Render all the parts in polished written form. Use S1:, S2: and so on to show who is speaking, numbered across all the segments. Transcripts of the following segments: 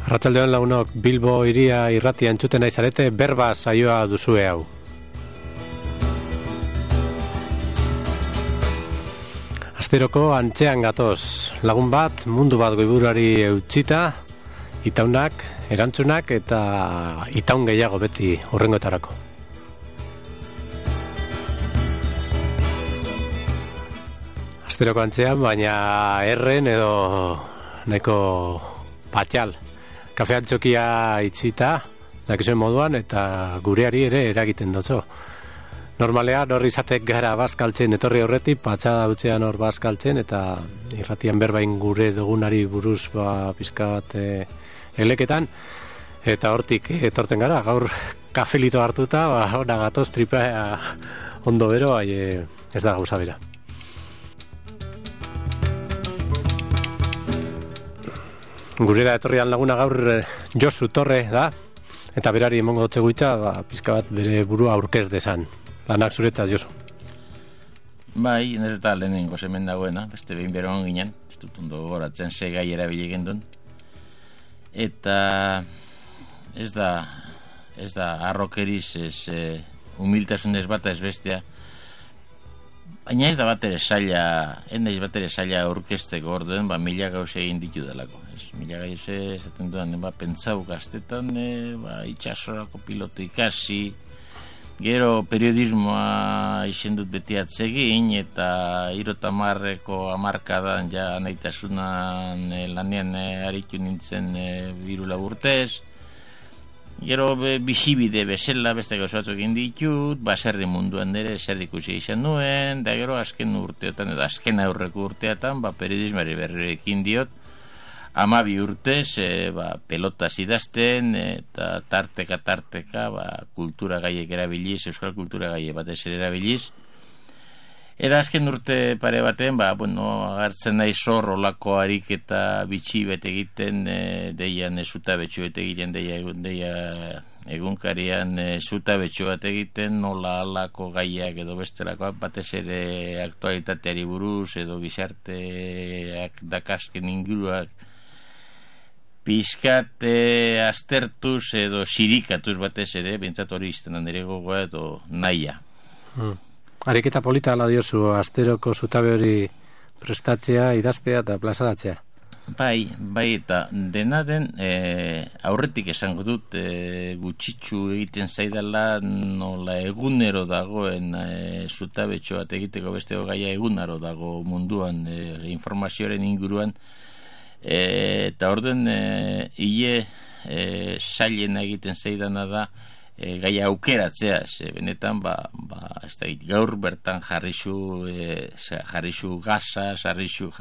S1: Arratsaldeon lagunok, Bilbo hiria irratia entzuten nahi zarete, berba saioa duzue hau. Asteroko antzean gatoz, lagun bat, mundu bat goiburuari eutsita, itaunak, erantzunak eta itaun gehiago beti horrengoetarako. Asteroko antzean, baina erren edo nahiko patxal. Kafean txokia itxita, dakizuen moduan, eta gureari ere eragiten dutzo. Normalean hor izatek gara bazkaltzen etorri horretik, patxada utzean hor bazkaltzen, eta irratian berbain gure dugunari buruz pizka bat eleketan, eta hortik etorten gara, gaur kafelito hartuta, hona gatoz tripea ondo bero, ez da gauza bera. Gurera etorrian laguna gaur Josu Torre da, eta berari emongo dutze guitza, pizka bat bere burua aurkez desan. Lanak zuretzat, Josu.
S2: Bai, nire eta lehenengo hemen dagoena, beste behin beroan ginen, ez dut ondo goratzen, ze gai erabile gendun. Eta ez da arrokeriz, humiltasunez bata ez bestea, baina ez da bat ere saila aurkezteko orduen, mila gauze egin ditu delako. Mila gauze, esaten duan, pentsau gaztetan, itxasorako piloto ikasi, gero periodismoa izendut beti atzegin, eta 70ko hamarkadan ja nahitasunan lanean aritu nintzen 3 urtez. Gero bizibide bezala beste gauza batzuk egin ditut, baserri munduan ere zer ikusi izan nuen, da gero azken urteotan edo azken aurreko urteatan periodismari berrekin diot, 12 urtez pelotaz idazten eta tarteka kultura gaiek erabiliz, euskal kultura gaiek batez ere erabiliz. Eta azken urte pare baten, agertzen nahi zor olako harik eta bitxi bete egiten, deian zutabetxu bete egiten, deia egunkarian zutabetxu bat egiten, nola alako gaiak edo bestelako batez ere aktualitateari buruz edo gizarteak dakazken inguruak pizkat aztertuz edo sirikatuz batez ere, bintzat hori iztenan ere gogoa edo nahia.
S1: Ariketa polita ala diozu, asteroko zutabe hori prestatzea, idaztea eta plazaratzea.
S2: Bai, eta dena den aurretik esango dut gutxitxu egiten zaidala nola egunero dagoen zutabetxo bat egiteko besteko gaia egunero dago munduan informazioaren inguruan, eta orden sailen egiten zaidana da gaia aukeratzea, benetan gaur bertan jarrixu gaza, jarrixu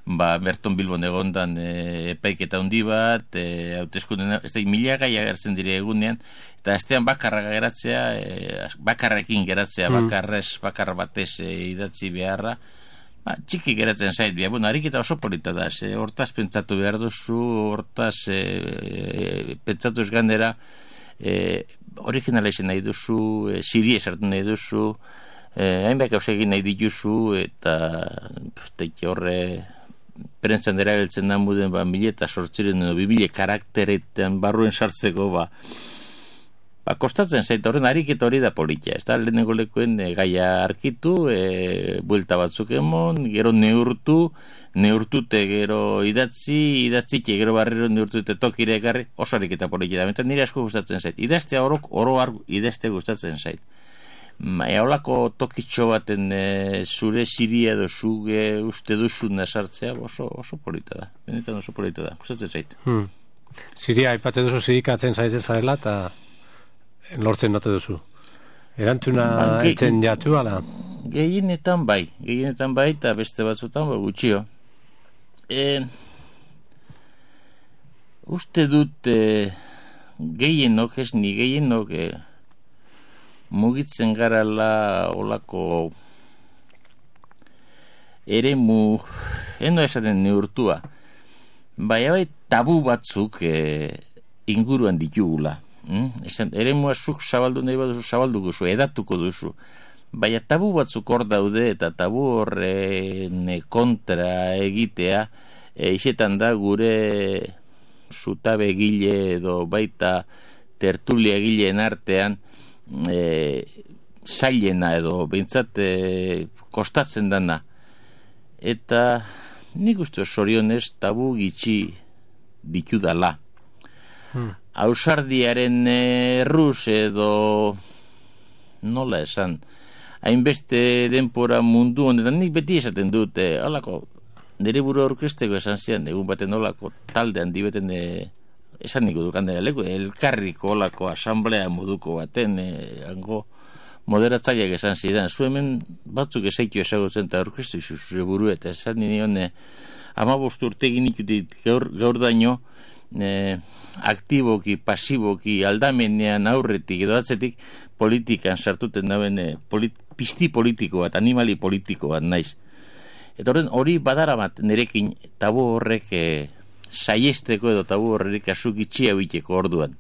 S2: Berton Bilbon egondan epaiketa handi bat, hauteskunden mila gai agertzen dire egunean, eta astean bakarrekin geratzea, bakar batez idatzi beharra, txiki geratzen zait, ariketa oso polita da, hortaz pentsatu behar duzu, hortaz pentsatu ez gandera, originala izan nahi duzu, siri esartu nahi duzu, hainbat gauza egin nahi dituzu, eta horre prentzan erabiltzen da muden 1800 edo 2000 karakteretan barruen sartzeko kostatzen zait horren ariketa hori da politia, ez da lehenengo lekuen gaia arkitu, buelta batzuk emon, gero neurtute gero idatzike gero barrero neurtute tokire ekarri, oso ariketa politia da, mentan nire asko gustatzen zait, idaztea oro idaztea gustatzen zait. Eolako tokitxo baten zure siria edo zuge uste duzuna sartzea oso polita da, benetan oso polita da, gustatzen zait.
S1: Siria aipatzen duzu zirikatzen zaitzen zarela eta lortzen note duzu. Erantzuna etzen jatu ala?
S2: Gehienetan bai, eta beste batzutan gutxio. Uste dut gehienok, ez ni gehienok mugitzen garala olako eremu, eno esaten neurtua, bai tabu batzuk inguruan ditugula. Eremua zuk zabaldu nahi baduzu, zabalduko zu, edatuko duzu. Baina tabu batzuk hor daude eta tabu horren kontra egitea, isetan da gure zutabe egile edo baita tertulia egileen artean zailena edo behintzat kostatzen dana. Eta nik uste zorionez tabu gitxi ditudala. Ausardiaren erruz edo nola esan, hainbeste denpora mundu honetan, nik beti esaten dut, halako, nire buru aurkezteko esan zian, egun baten olako talde handi beten esan niko dukandera leku, elkarriko olako asamblea moduko baten, hango moderatzaileak esan zidan, zu hemen batzuk esaikio esagutzen eta aurkeztu zure buru, eta esan nion 15 urte egin ikutit gaur daño, aktiboki, pasiboki, aldamenean aurretik edo atzetik, politikan sartuten daben pizti politiko bat, animali politiko bat naiz. Eta hori badara bat nirekin tabu horrek saiesteko edo tabu horrek asuk itxia biteko orduan.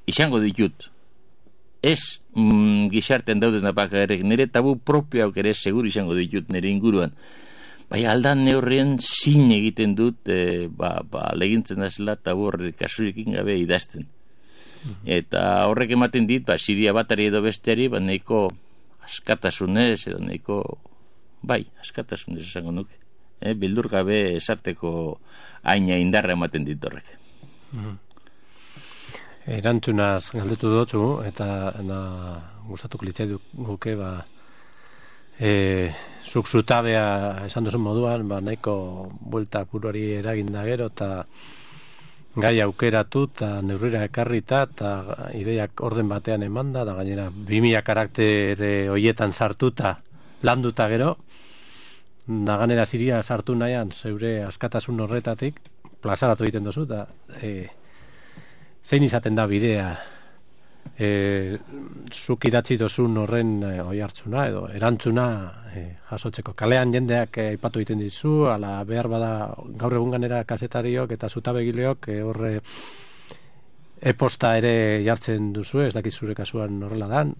S2: Izango ditut. Ez gizartean dauden apakarek, nire tabu propioak ere segur izango ditut nire inguruan. Bai, aldan neurrien zin egiten dut, legintzen dazela tabu horrek kasurekin gabe idazten. Eta horrek ematen dit, Siria batari edo besteari, nahiko askatasunez edo nahiko, askatasunez esango nuke. Bildur gabe esarteko aina indarra ematen dit horrek.
S1: Erantzunaz galdetu dutzu, eta gustatuko litzai guke, zuk zutabea esan duzun moduan, nahiko buelta buruari eraginda gero, eta gai aukeratu eta neurrira ekarrita eta ideiak orden batean emanda, da gainera 2000 karaktere hoietan sartuta landuta gero, da gainera Siria sartu nahian zeure askatasun horretatik plazaratu egiten duzu, eta zein izaten da bidea zuk idatzi dozun horren oihartzuna edo erantzuna jasotzeko. Kalean jendeak aipatu egiten dizu, ala behar bada gaur egun ganera kazetariok eta zutabegileok horre e-posta ere jartzen duzu, ez dakit zure kasuan horrela dan,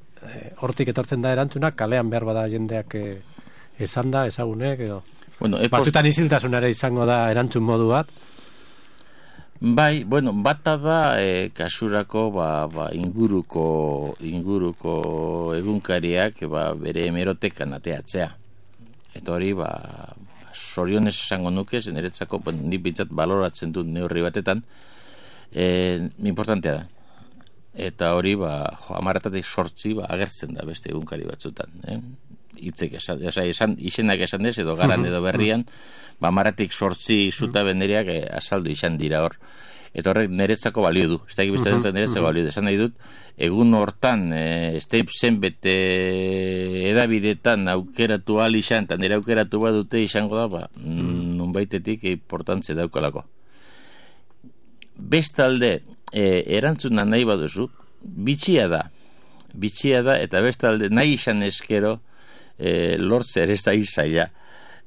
S1: hortik etortzen da erantzuna, kalean behar bada jendeak esan da, ezagunek edo batzutan isiltasunare izango da erantzun modu bat.
S2: Bai, bata da kasurako inguruko egunkariak bere hemerotekan ateatzea. Eta hori zorionez esango nuke, niretzako nik bintzat baloratzen dut neurri batetan, importantea da. Eta hori 10-tatik 8 agertzen da beste egunkari batzutan. Hitzek izenak esan ez, edo garan edo berrian, 10-tatik 8 zutabe nereak azaldu izan dira hor. Eta horrek niretzako balio du. Ez da egibiztatzen niretzako balio du. Esan nahi dut, egun hortan, zenbete edabidetan aukeratu izan, eta nire aukeratu bat dute izango da, nunbaitetik importantze daukalako. Bestalde, erantzuna nahi baduzu, bitxia da, eta bestalde nahi izan eskero, lortze ere zaila.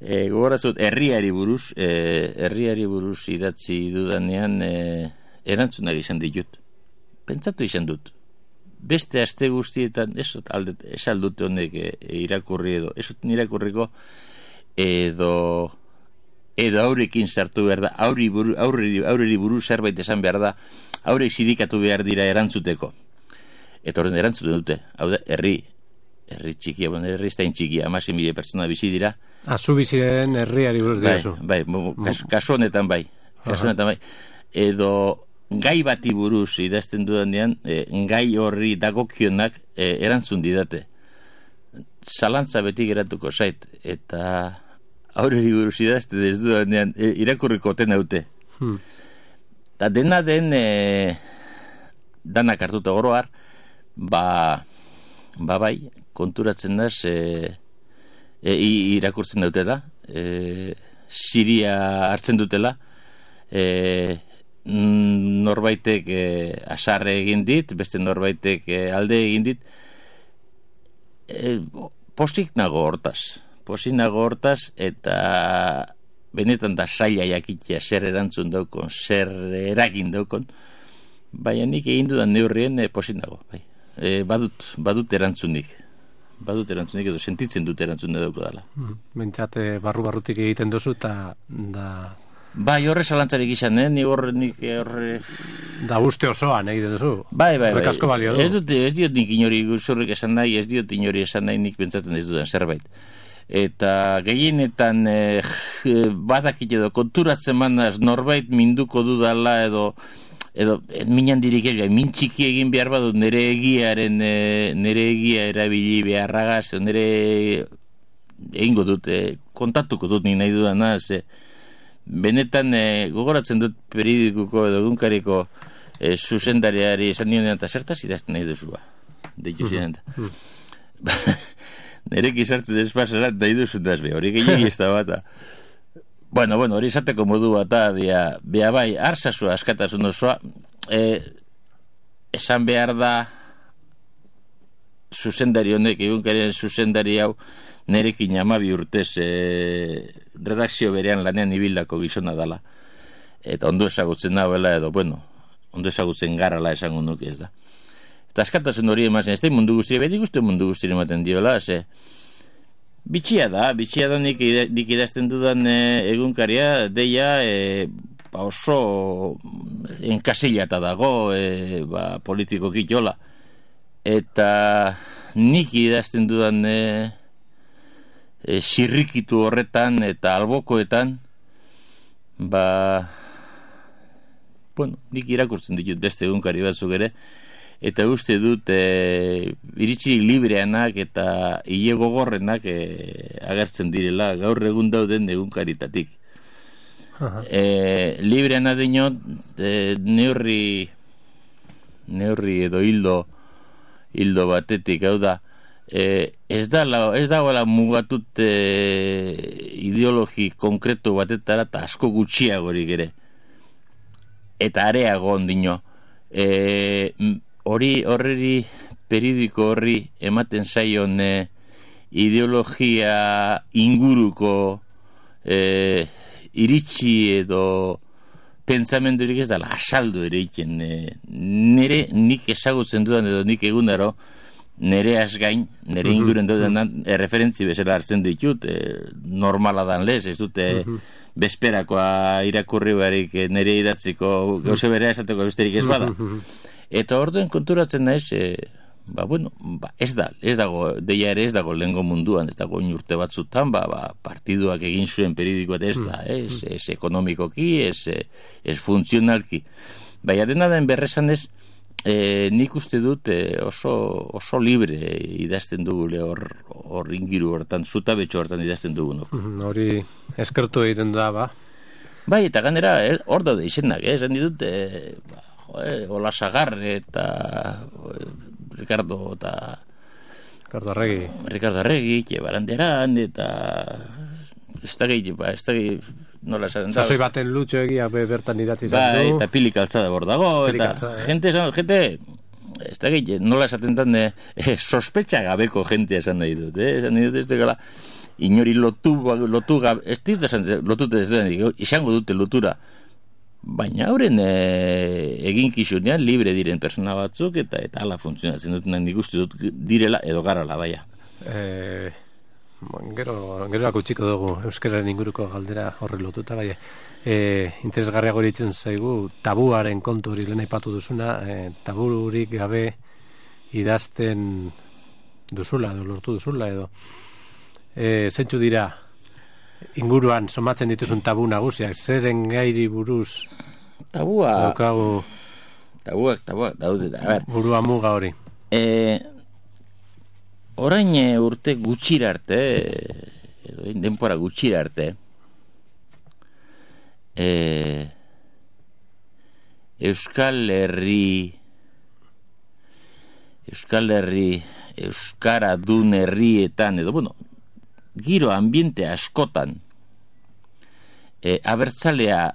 S2: Gogorazut, herriari buruz idatzi dudanean erantzunak izan ditut. Pentsatu izan dut. Beste aste guztietan, ez aldute honek irakurri edo, ez irakurriko edo aurekin sartu behar da, aurreri buruz zerbait esan behar da, aurre sirikatu behar dira erantzuteko. Eta horren erantzuten dute, hau da, herri txikia, herri ez da txikia, 16.000 pertsona bizi dira.
S1: Zu bizi den herriari buruz dirazu.
S2: Kasu honetan bai. Edo gai bati buruz idazten dudanean, gai horri dagokionak erantzun didate. Zalantza beti geratuko zait, eta aurreri buruz idazten ez dudanean, irakurriko oten haute. Eta dena den, danak hartuta oroar, bai, konturatzen naz, irakurtzen dutela, Siria hartzen dutela, norbaitek asarre egin dit, beste norbaitek alde egin dit, posik nago hortaz, eta benetan da zaila jakitea zer erantzun daukon, zer eragin daukon, baina nik egin dudan neurrien posik nago, bai. Badut erantzunik edo sentitzen dut erantzun dauko dela.
S1: Bentsat barrutik egiten duzu eta
S2: Bai, horre salantzarik izan, nik horre...
S1: Da uste osoan egiten duzu.
S2: Bai.
S1: Asko balio du.
S2: Ez diot nik inori zurrik esan nahi, ez diot inori esan nahi nik pentsatzen ez dudan zerbait. Eta gehienetan badakit edo konturatzen manaz norbait minduko dudala edo minan dirik min txiki egin behar badu nire egia erabili beharragaz, nire egingo dut, kontatuko dut nik nahi dudana, benetan gogoratzen dut periodikuko edo egunkariko zuzendariari esan nionean eta zertaz idazten nahi duzu deitu ziren nereki sartzen despasarat nahi duzu hori gehiagi ez da bata bueno, hori esateko modu bata bia bai, arzazu askatasun osoa esan behar da zuzendari honek egunkarien zuzendari hau nerekin 12 urtez redakzio berean lanean ibildako gizona dala eta ondo ezagutzen nahuela edo ondo ezagutzen garala esango nuke ez da eta askatasun hori emazen ez da mundu guztia bedik uste mundu guztia ematen diola bitxia da nik idazten dudan egunkaria deia oso enkasilata dago politikoki jola eta nik idazten dudan sirrikitu horretan eta albokoetan nik irakurtzen ditut beste egunkari batzuk ere eta uste dut iritsi libreanak eta hile gogorrenak agertzen direla gaur egun dauden egunkaritatik libreana dinot neurri edo hildo batetik hau da ez dagoela mugatut ideologi konkretu batetara eta asko gutxiagorik ere eta areago ondino horreri periodiko horri ematen zaion ideologia inguruko iritsi edo pentsamendurik ez dela asaldu ere iken nik ezagutzen dudan edo nik egunero nere asgain, nere inguren dudan referentzi bezala hartzen ditut normala dan lez, ez dute bezperakoa irakurri barik nere idatziko gauze berea esateko besterik ez bada eta orduen konturatzen naiz ez dago deia ere ez dago lehengo munduan ez dago urte batzutan partiduak egin zuen periodikoa ez da ez ekonomikoki ez funtzionalki baina dena den berresan ez nik uste dut oso libre idazten dugule hor ingiru hortan, zutabetxo hortan idazten dugunok.
S1: Hori eskertu egiten da,
S2: Bai, eta ganera hor daude izenak, esan ditut Olasagarre eta Ricardo Arregi, Baranderan eta ez da gehi nola esaten da.
S1: Sasoi baten lutxo egia bertan idatzi izan du.
S2: Eta Pili Calzada hor dago, eta gente, ez da gehi, nola esaten dan, sospetxa gabeko gente esan nahi dut, esan nahi dut, ez da gala, inori lotu gabe, ez dut esan, lotute ez da, izango dute lotura, baina hauren eginkizunean libre diren persona batzuk, eta ala funtzionatzen dut, nik uste dut direla edo garala, baina.
S1: Gero akutsiko dugu euskararen inguruko galdera horre lotuta, bai. Interesgarriago eritzen zaigu tabuaren kontu hori lehen aipatu duzuna, taburik gabe idazten duzula, edo lortu duzula, edo zentzu dira inguruan somatzen dituzun tabu nagusiak, zeren gairi buruz
S2: tabuak
S1: daude, burua muga hori.
S2: Orain urte gutxira arte, edo denpora gutxira arte, Euskal Herri, Euskara dun herrietan, edo, giro ambiente askotan, abertzalea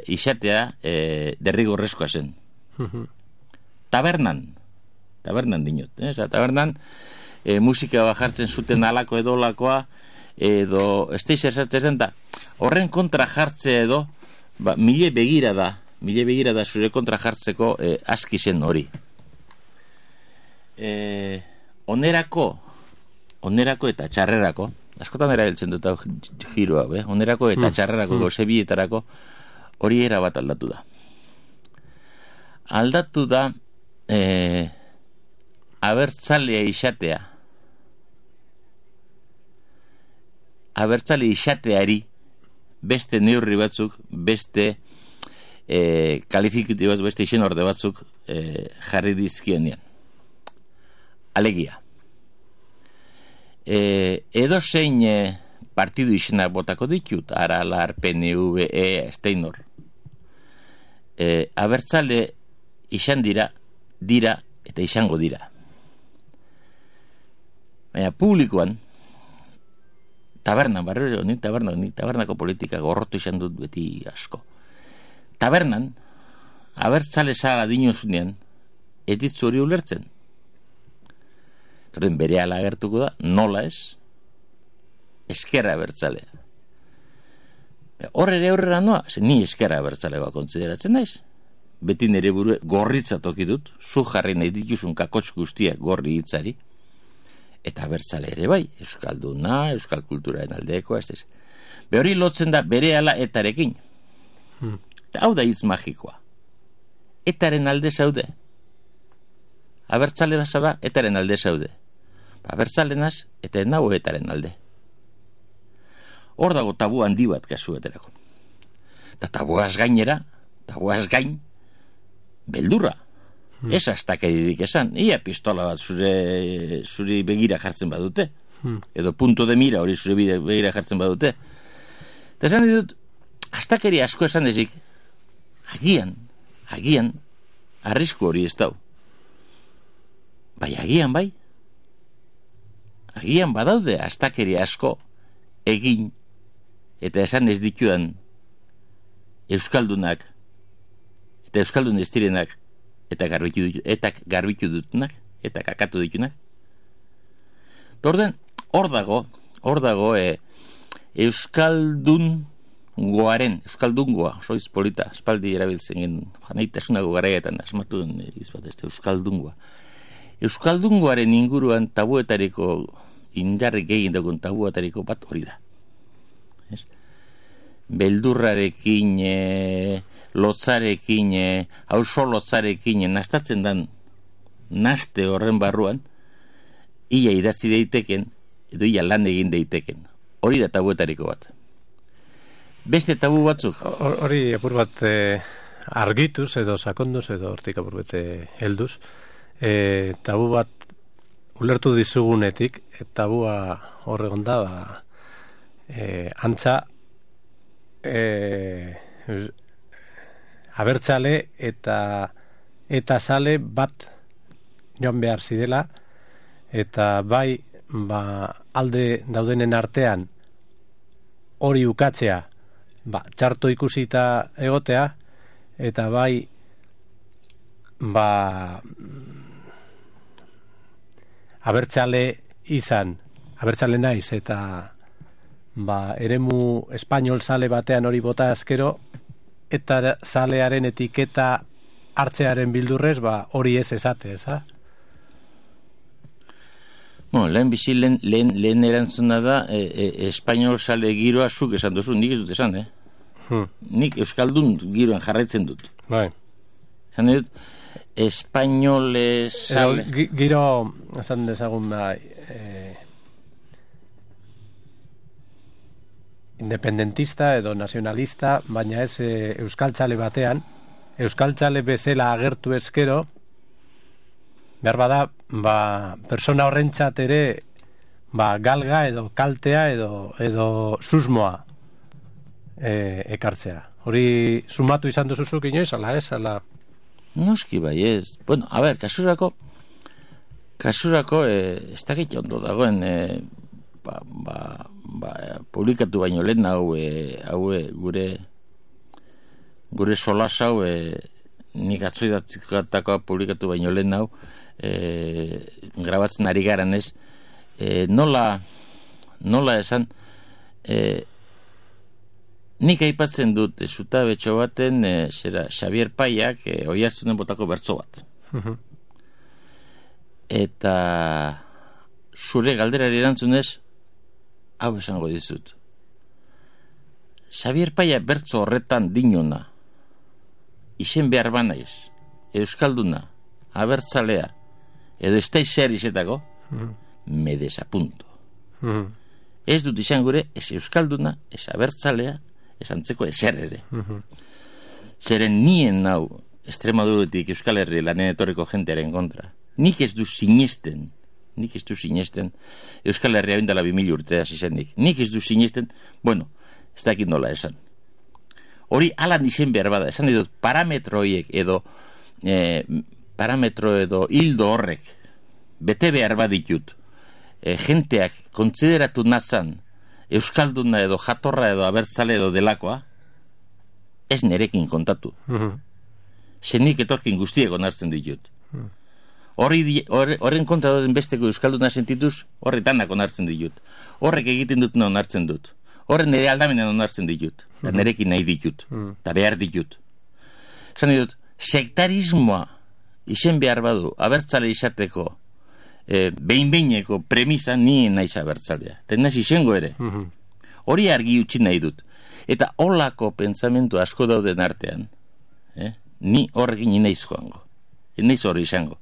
S2: izatea derrigorrezkoa zen. Tabernan dinot, tabernan, musika jartzen zuten alako edo lakoa edo esteizer sartzen da horren kontra jartzea edo mile begira da zure kontra jartzeko aski zen hori onerako eta txarrerako askotan erabiltzen dut giroa, onerako eta txarrerako gozebietarako hori erabat aldatu da. Aldatu da abertzalea izatea. Abertzale izateari beste neurri batzuk, beste kalifikatibo batzuk, beste izen orde batzuk jarri dizkienean. Alegia. Edo zein partidu izenak botako ditut, Aralar, PNV, Steinor. Abertzale izan dira eta izango dira. Baina publikoan, tabernako politika gorrotu izan dut beti asko. Tabernan, abertzale zara dinozunean, ez ditzu hori ulertzen. Torren bere ala agertuko da, nola ez, eskerra abertzalea. Hor ere horrela noa, ni eskerra abertzalegoa kontsideratzen naiz. Beti nire burue gorritza toki dut, zu jarri nahi dituzun kakotx guztiak gorri hitzari, eta abertzale ere bai, euskalduna, euskal kulturaren aldekoa, ez. Hori lotzen da bere ala etarekin. Hau da hitz magikoa. Etaren alde zaude. Abertzale bazara, etaren alde zaude. Abertzalenaz, eta nago etaren alde. Hor dago tabu handi bat kasueterako. Eta tabuaz gain, beldurra. Ez astakeririk esan. Ia pistola bat zuri begira jartzen badute. Edo punto de mira hori zure begira jartzen badute. Eta esan ditut, astakeri asko esan ezik, agian, arrisku hori ez dau. Agian badaude astakeri asko egin eta esan ez ditudan euskaldunak eta euskaldun ez direnak eta garbitu dutunak eta kakatu ditunak. Hor dago euskaldungoa, soiz polita, espaldi erabiltzen gen, janaitasunago garaietan asmatu den izbat, euskaldungoa. Euskaldungoaren inguruan tabuetariko, indarrik egin dagoen tabuetariko bat hori da. Beldurrarekin, lotzarekin, hauso lotzarekin, nastatzen dan naste horren barruan, ia idatzi daiteken, edo ia lan egin daiteken. Hori da tabuetariko bat. Beste tabu batzuk?
S1: Hori apur bat argituz edo sakonduz edo hortik apur bete helduz. Tabu bat ulertu dizugunetik, tabua horregon da, antza abertzale eta sale bat joan behar zidela, eta bai alde daudenen artean hori ukatzea txarto ikusita egotea, eta bai abertzale naiz eta eremu espainol sale batean hori bota askero, eta salearen etiketa hartzearen bildurrez hori ez esate, ez da?
S2: Lehen erantzuna da espainol sale giroa zuk esan duzu, nik ez dut esan, Nik euskaldun giroan jarraitzen dut.
S1: Bai.
S2: Esan dut, espainol sale...
S1: Giro, esan dezagun independentista edo nazionalista, baina ez euskaltzale batean, euskaltzale bezala agertu ezkero, behar bada, persona horrentzat ere galga edo kaltea edo susmoa ekartzea. Hori sumatu izan duzuzuk inoiz, ala ez?
S2: Noski bai ez. Bueno, a ber, kasurako ez dakit ondo dagoen publikatu baino lehen haue gure solas hau nik atzoidatzikatako publikatu baino lehen hau grabatzen ari garan ez, nola esan, nik aipatzen dut zutabetxo baten Xavier Paiak Oiartzunen botako bertso bat. Eta zure galderari erantzunez, hau esango dizut. Xabier Paia bertso horretan dinona, izen behar banaiz, euskalduna, abertzalea, edo ez da zer izetako, me desapunto. Ez dut izan gure, ez euskalduna, ez abertzalea, ez antzeko ezer ere. Zeren nien hau, Extremaduretik Euskal Herri lanen etorriko jentearen kontra. Nik ez du sinesten, Euskal Herria bindala 2000 urtea zizenik. Nik ez du sinesten, bueno, ez dakit nola esan. Hori alan izen behar bada, esan ditut parametro edo hildo horrek, bete behar baditut, jenteak kontsideratu nazan euskalduna edo jatorra edo abertzale edo delakoa, ez nerekin kontatu. Zenik etorkin guztiek onartzen ditut. Horren kontra doden besteko euskalduna sentituz, horre danak onartzen ditut. Horrek egiten dutena onartzen dut. Horren nire aldamenean onartzen ditut. Eta nerekin nahi ditut. Eta behar ditut. Zan ditut, sektarismoa izen behar badu abertzale izateko behin-behineko premisa nien naiz abertzalea. Eta naiz izango ere. Hori argi utzi nahi dut. Eta holako pentsamentu asko dauden artean, ni horrekin inaiz joango. Inaiz hori izango.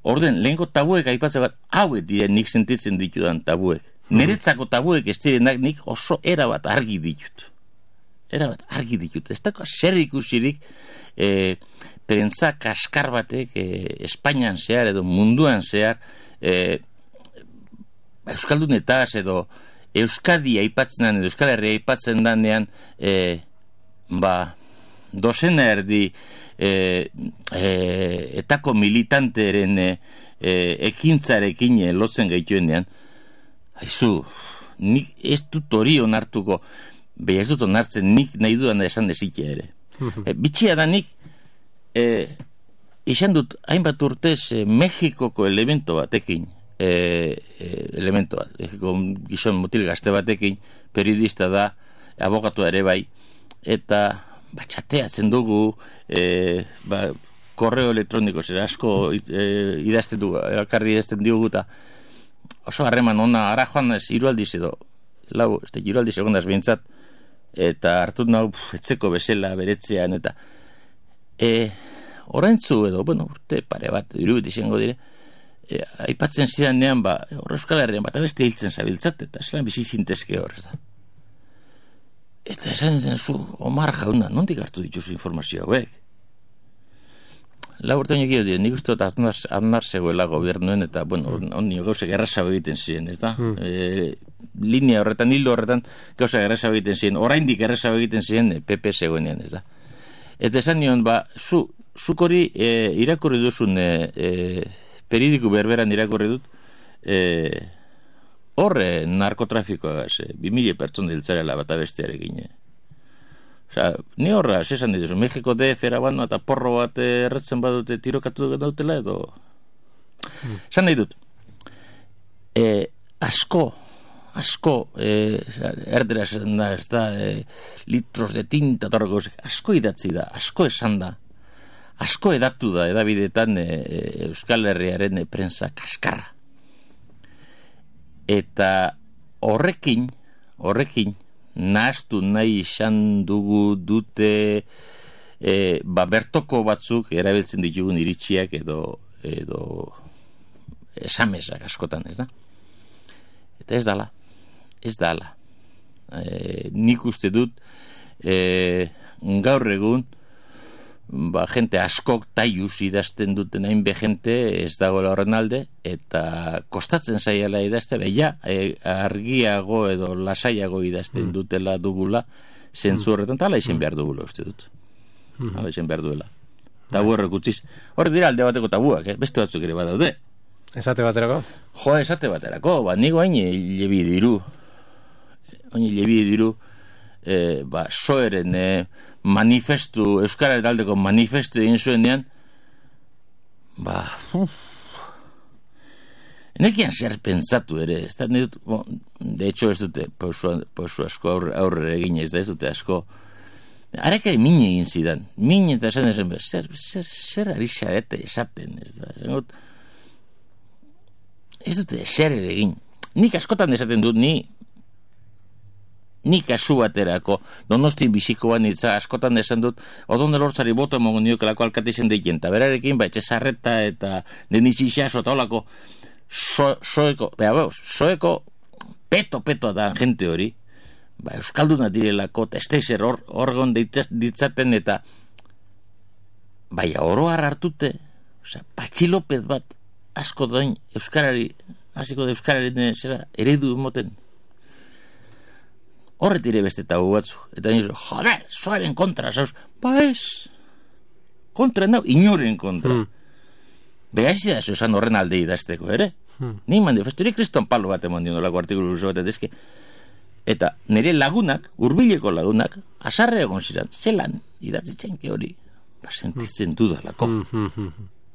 S2: Orden, lehenko tabuek aipatzen bat, hauek diren nik sentitzen ditudan tabuek. Niretzako tabuek ez direnak nik oso erabat argi ditut. Ez dago zer ikusirik prentza kaskar batek Espainian zehar edo munduan zehar euskaldunetaz edo Euskadi aipatzen edo Euskal Herria aipatzen danean dozena erdi etako militanteren ekintzarekin lotzen gaituenean, haizu, nik ez dut hori onartuko, beha ez dut onartzen nik nahi dudan da esan dezikia ere. Bitxia da nik izan dut hainbat urtez Mexikoko elemento batekin, Mexiko gizon mutil gazte batekin, periodista da, abogatua ere bai, eta txateatzen dugu, korreo elektroniko zer asko idazten dugu, elkarri idazten diogu, eta oso harreman ona, ara joan ez hirualdiz edo, hirualdiz egondaz behintzat, eta hartut nau etzeko bezala beretzean, eta oraintzu edo, urte pare bat, irubit izango dire, aipatzen zidanean, hor Euskal Herrian bat abeste hiltzen zabiltzat, eta zelan bizi zintezke hor, ez da. Eta esan zen zu, Omar jauna, nondik hartu dituzu informazio hauek? Lau urte honek dira, nik uste dut aznar zegoela gobernuen, eta, honi gauzak errazago egiten ziren, ez da? Linea horretan, hildo horretan, gauzak errazago egiten ziren, oraindik errazago egiten ziren, PP zegoenean, ez da? Eta esan nion, zuk hori irakurri duzun, periodiku berberan irakurri dut, horre narkotrafikoa 2000 pertsona hiltzarela bat abestearekin. Ni horra, esan dituzu, Mexiko DF eraban eta porro bat erretzen badute tirokatu dautela edo... Esan nahi dut, asko, erdera esan da, ez da, litros de tinta, asko idatzi da, asko esan da, asko edatu da, edabidetan Euskal Herriaren prensa kaskarra. Eta horrekin nahaztu nahi izan dute bertoko batzuk erabiltzen ditugun iritsiak edo esamesak askotan, ez da? Eta ez dala. Nik uste dut gaur egun jente askok taiuz idazten duten hainbe jente ez dagoela horren alde, eta kostatzen zaiala idazte, argiago edo lasaiago idazten dutela dugula, zentzu horretan, eta ala izen behar dugula uste dut. Ala izen behar duela. Tabu horrek utziz. Horre dira alde bateko tabuak, beste batzuk ere badaude.
S1: Esate baterako?
S2: Esate baterako, nigo hain lebi diru. Soeren manifestu, Euskararen aldeko manifestu egin zuenean, enekian zer pentsatu ere, ez da, de hecho ez dute pausu asko aurre egin, ez dute asko, harekari min egin zidan, eta esan zer ari xarete esaten, ez da, ez dute zer ere egin. Nik askotan esaten dut, ni nik kasu baterako, Donosti biziko banitza, askotan esan dut, Odon Elortzari boto emongo niokelako alkate izen deikien, eta berarekin, etxe Sarreta eta Denitzi Xaso eta holako, soeko peto da gente hori, euskalduna direlako, eta esteizer orgon ditzaten, eta oroar hartute, Patxi López bat, asko doin euskarari, hasiko da euskararen eredu moten. Horret ire beste eta batzu. Eta nire, joder, soaren kontra, zauz. Ez, kontra nau, inoren kontra. Behaizia zuzan horren alde idazteko, ere? Ni manifesturi kriston palo bat emon diondolako artikulu luzo bat edezke. Eta nire lagunak, hurbileko lagunak, asarre egon ziren, zelan idatzitzen ke hori. Sentitzen dudalako.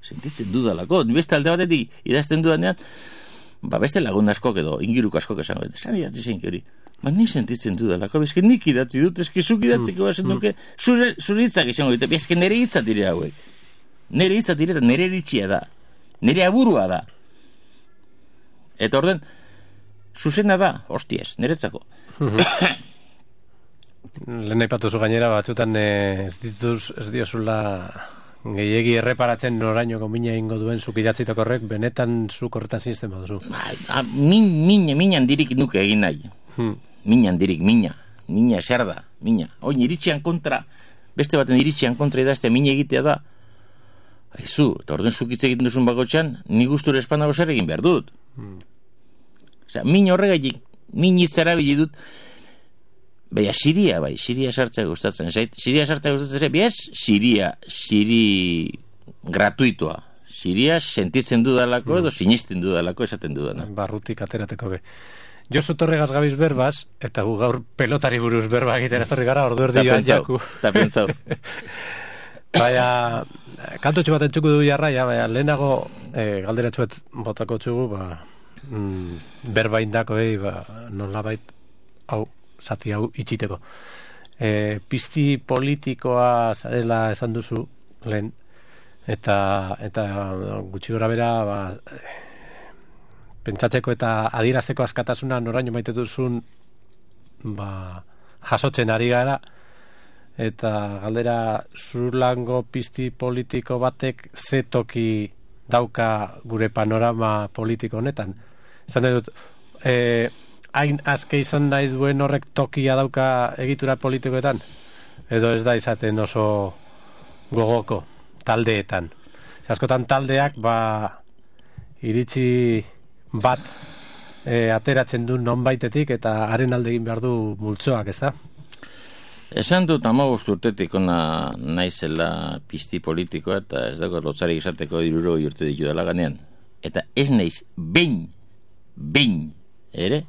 S2: Sentitzen dudalako. Beste alde batetik idazten dudanean, beste lagun askok edo ingiruk askok esango. Zan idatzitzen ke hori. Ni sentitzen dudalako. Bezke nik idatzi dut, eski zuk idatziko bazen duke, zure hitzak izango dute. Bezke nire hitzat dire hauek. Nire hitzat dire eta nire eritxia da. Nire aburua da. Eta orden, zuzena da, hostiez, niretzako.
S1: Lehen aipatuzu gainera batzutan ez diozula gehiegi erreparatzen noraino komina ingo duen zuk idatzitako horrek, benetan zuk horretan zinezten baduzu.
S2: Minan dirik nuke egin nahi. Minan dirik, mina zer da, mina. Oin iritxean kontra, beste baten iritxean kontra idaztea mina egitea da. Aizu, eta orden zuk hitz egiten duzun bakotxan, ni gustura espanago zer egin behar dut. Osea, min horregaitik, min hitzara dut, Siria sartzea gustatzen zait. Siria sartzea gustatzen zait, Siri gratuitoa. Siria sentitzen dudalako edo sinisten dudalako esaten dudana.
S1: Barrutik aterateko be. Josu Torregaz gabiz berbaz, eta gu gaur pelotari buruz berba egiten etorri gara, ordu erdi joan jaku.
S2: Ta pentsau.
S1: Baina, kantotxu bat entzuko du jarraia, baina lehenago galderatxuet botako txugu, berba indako, nolabait, zati hau itxiteko. Pizti politikoa zarela esan duzu lehen, eta gutxi gora bera pentsatzeko eta adierazteko askatasuna noraino maite duzun jasotzen ari gara, eta galdera zurlango pizti politiko batek ze toki dauka gure panorama politiko honetan. Esan dut, hain azke izan nahi duen horrek tokia dauka egitura politikoetan? Edo ez da izaten oso gogoko taldeetan? Askotan taldeak iritzi bat ateratzen du nonbaitetik eta haren alde egin behar du multzoak, ez da?
S2: Esan dut 15 urtetik ona naizela pizti politikoa eta ez dago lotzarik izateko 60 urte ditu dela ganean. Eta ez naiz behin ere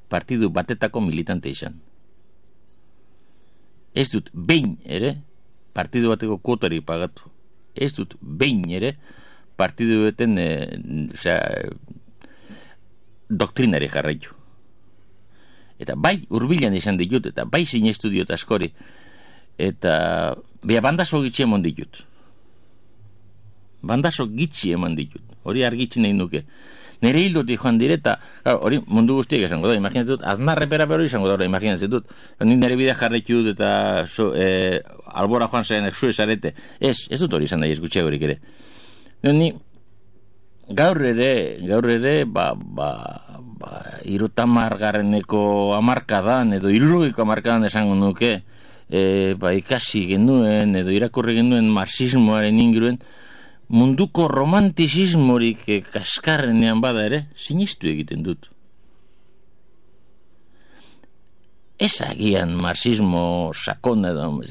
S2: partidu batetako militante izan. Ez dut behin ere partidu bateko kuotari pagatu. Ez dut behin ere partidu beten doktrinari jarraitu. Eta bai hurbilan izan ditut, eta bai sinestu diot askori, eta bandazo gitxi eman ditut. Hori argitzi nahi nuke. Nere hildotik joan direta, hori mundu guztiak esango da, imaginatzen dut, aznarrepera hori izango da, imaginatzen dut. Ni nire bidea jarraitu dut eta albora joan zaren zu esarete. Ez dut hori izan da, ez gutxiagorik ere. Ni gaur ere 30garreneko hamarkadan edo 60ko hamarkadan esango nuke, ikasi genuen edo irakurri genuen marxismoaren inguruen, munduko romantizismorik kaskarrenean bada ere, sinistu egiten dut. Ez agian marxismo sakona edo,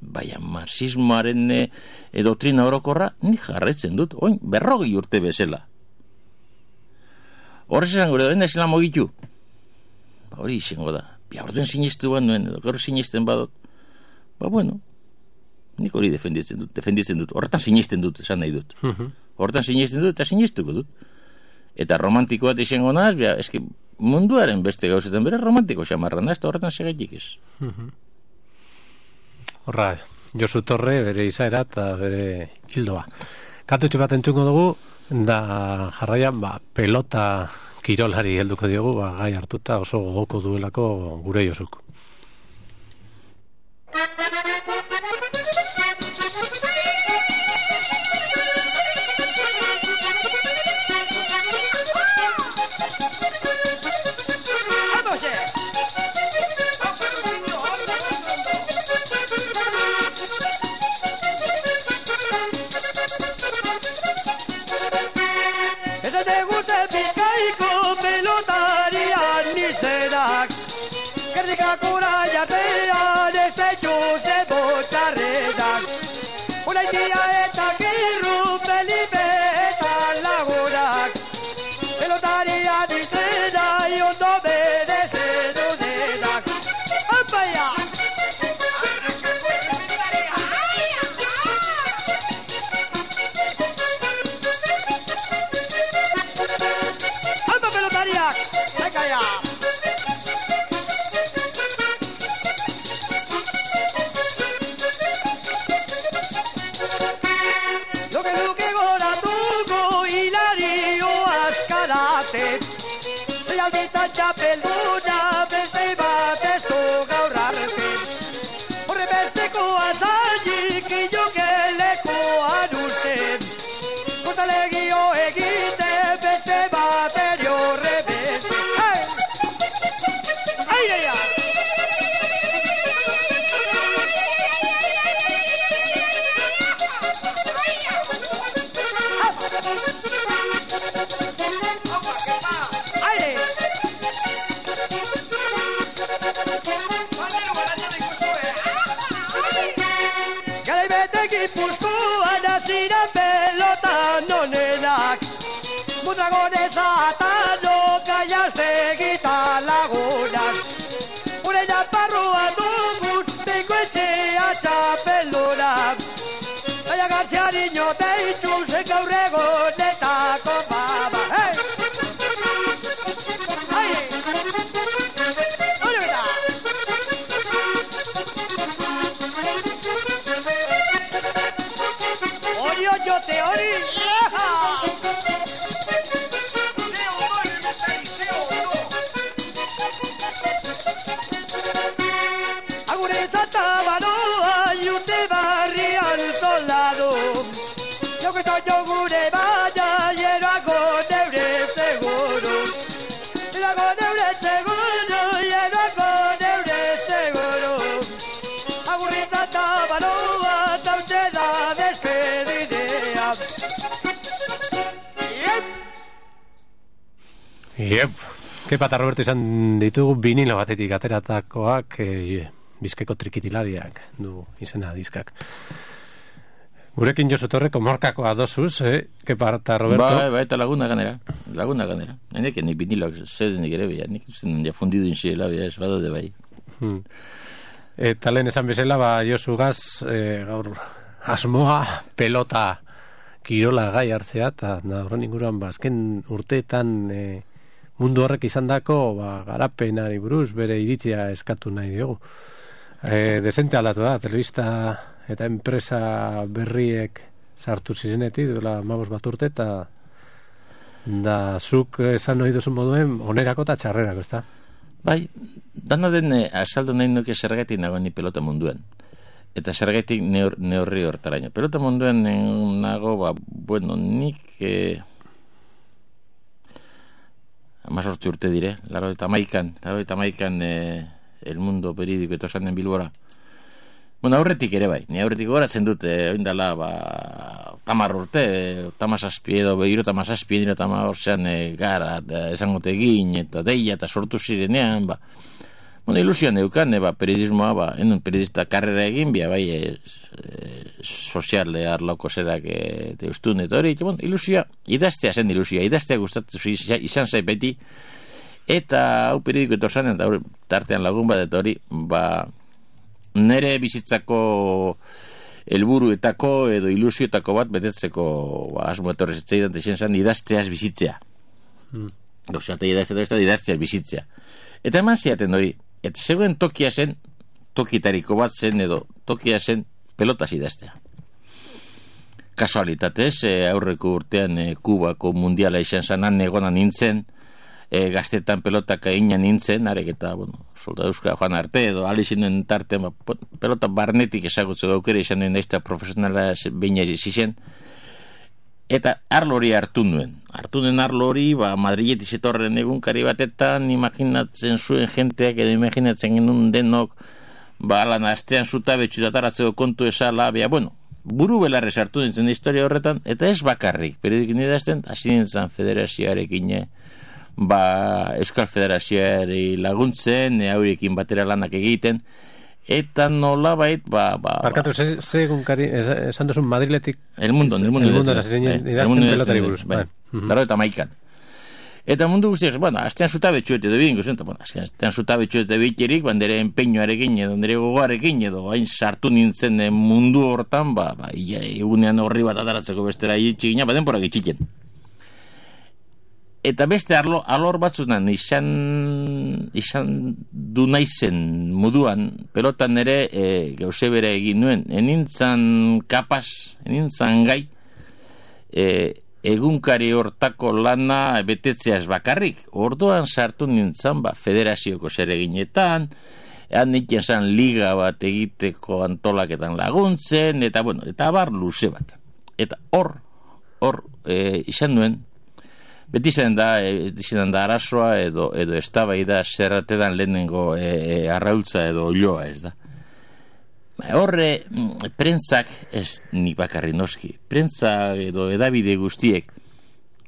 S2: baina marxismoaren doktrina orokorra ni jarraitzen dut, 40 urte bezala. Horrez esango da, enda esela mogitu. Hori izango da. Orduen sinistu bat nuen, edo gaur sinisten badot. Bueno, nik hori defenditzen dut. Horretan sinisten dut, esan nahi dut. Horretan sinisten dut eta sinistuko dut. Eta romantiko bat izango naz, eski munduaren beste gauzetan bere romantiko xamarra naz, eta horretan segaitik ez.
S1: Horra, Josu Torre, bere izaera eta bere hildoa. Kantutxu bat entzuko dugu, da jarraian pelota kirolari helduko diogu, gai hartuta oso gogoko duelako gure Josuk.
S3: Txapelduna beste bat ez du gaur arte. Horre besteko azainik inokelekuan usten. Kontalegio egite beste bat eri horre beste. Airea! Gipuzkoan hasiran pelotan onenak, Mondragonez atano Gaiaztegita lagunak. Ure naparroa dugun teiko etxea txapelunak. Baina Garziariño deituz gaur egonetako baba. Yo gure baya llerago neure seguro. Llerago neure seguro, llerago neure seguro. Agurrizata baloa tautxe da despedidea.
S1: Yep. Kepa eta Roberto izan ditugu vinilo batetik ateratakoak Bizkaiko trikitilariak du izena diskak. Gurekin Josu Torre, komorkakoa dosuz, Kepa eta Roberto.
S2: Ba, eta laguna ganera. Hendek, nik biniloak zedenik ere beha, nik usten ja fundidu inxiela beha, ez badaude bai.
S1: Eta lehen esan bezala, Josu gaz, gaur asmoa pelota kirola gai hartzea, eta horren inguruan, azken urteetan mundu horrek izan dako, garapenari buruz, bere iritzia eskatu nahi diogu. Desente aldatu da, telebista eta enpresa berriek sartu zirenetik, duela 15 bat urte, eta da zuk esan ohi duzun moduen onerako eta txarrerako, ezta?
S2: Bai, dana den asaldu nahi nuke zergatik nagoen ni pelota munduan. Eta zergatik neurri hortaraino. Pelota munduan nago, bueno, nik 18 urte dire, 89an El Mundo periódico etosan den Bilbora. Bueno, aurretik ere bai. Ni aurretik goratzen dut, oindala, 10 urte, 17 edo 37 nire 18an gara, esangote egin, eta deia, eta sortu zirenean, bueno, ilusioan eukan, periodismoa, enun periodista karrera egin, bai, sozial arlauko zerak deustun, eta hori, bueno, ilusioa, idaztea zen ilusioa, idaztea gustatu izan zait beti, eta hau periodiko etorsan, eta tartean lagun bat, eta hori, nere bizitzako helburuetako edo ilusioetako bat betetzeko asmo etorrez etzaidan texen zan idazteaz bizitzea. Gauzata idazteaz bizitzea. Eta eman ziaten hori, eta zegoen tokia zen, tokitariko bat zen edo tokia zen pelotaz idaztea. Kasualitatez, aurreko urtean Kubako mundiala izan zanan egona nintzen, gaztetan pelotak egina nintzen, arek eta, solda euskara joan arte, edo alizinen tarte, pelota barnetik ezagutzeko aukera izan nuen naizta profesionala beina zizien, eta arlo hori hartu nuen. Hartu nuen arlo hori, Madriletik zetorren egunkari batetan, imaginatzen zuen jenteak, edo imaginatzen genuen denok, lan astean zutabetxu dataratzeko kontu esala, buru belarrez hartu nintzen historia horretan, eta ez bakarrik, periodikin idazten, hasi nintzen federazioarekin, Euskal Federazioari laguntzen, haurekin batera lanak egiten, eta nolabait,
S1: Barkatu, ze egunkari, esan duzun Madriletik...
S2: El Mundo
S1: idazten pelotari buruz.
S2: Laro eta maikan. Eta mundu guztiak, astean zutabetxuet edo bidinko zen, astean zutabetxuet edo biterik, nire empeñoarekin edo nire gogoarekin edo hain sartu nintzen mundu hortan, egunean horri bat ataratzeko bestera itxigina, denporak itxiken. Eta beste alor batzunan izan du naizen moduan, pelotan ere gauze bere egin nuen, enintzan kapaz, enintzan gai, egunkari hortako lana betetzeaz bakarrik. Orduan sartu nintzen federazioko zereginetan, nintzen zan liga bat egiteko antolaketan laguntzen, eta abar luze bat. Eta hor izan nuen, beti izan da arazoa edo eztabaida zerratetan lehenengo arraultza edo oioa, ez da. Horre, prentzak, ez nik bakarri noski, prentza edo edabide guztiek,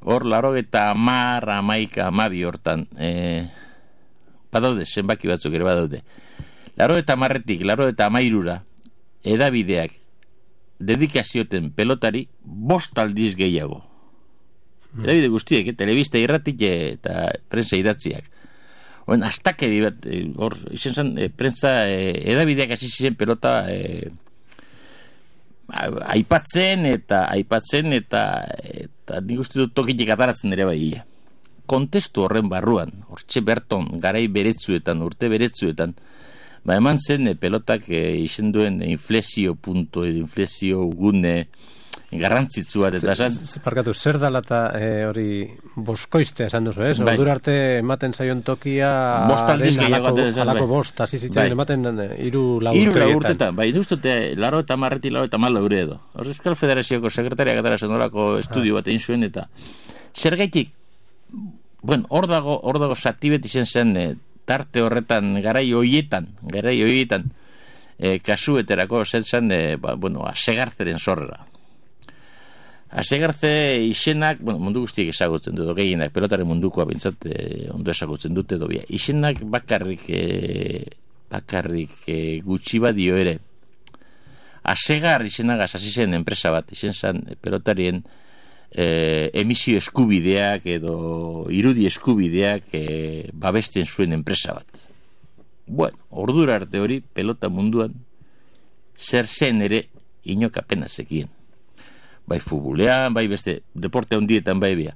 S2: hor 90, 11, 12 hortan, badaude, zenbaki batzuk ere badaude. 90-etik 93-ra edabideak dedikazioten pelotari 5 aldiz gehiago. Edabide guztiek, telebista irratik eta prentza idatziak. Oen, astakeri bat, hor, izan zen, prentza edabideak hasi ziren pelota aipatzen eta nik uste dut tokitik ataratzen ere bai. Kontestu horren barruan, hortxe berton, garai beretzuetan, urte beretzuetan, eman zen pelotak izan duen inflexio punto edo inflexio gune garrantzitsua eta
S1: Parkatu, zer dala eta hori boskoiztea esan duzu, ez? Ordur arte ematen zaion tokia alako bost, hasi zitzen ematen 3-4
S2: urtetan. Bai, duztute, 90-90 euro edo. Euskal Federazioko sekretariak atara zenolako estudio bat egin zuen eta zergaitik, hor dago satibet izan zen tarte horretan garai hoietan, kasueterako zen Asegarzeren zorrera. Asegarze izenak, mundu guztiek ezagutzen dut, gehienak, pelotaren mundukoa bintzat ondo ezagutzen dute dobia. Izenak bakarrik gutxi badio ere. Asegar izenagaz hasi zen enpresa bat, izen zen pelotarien emisio eskubideak edo irudi eskubideak babesten zuen enpresa bat. Ordura arte hori pelota munduan zer zen ere inok apenas zekien. Bai futbolean, bai beste deporte handietan bai bia.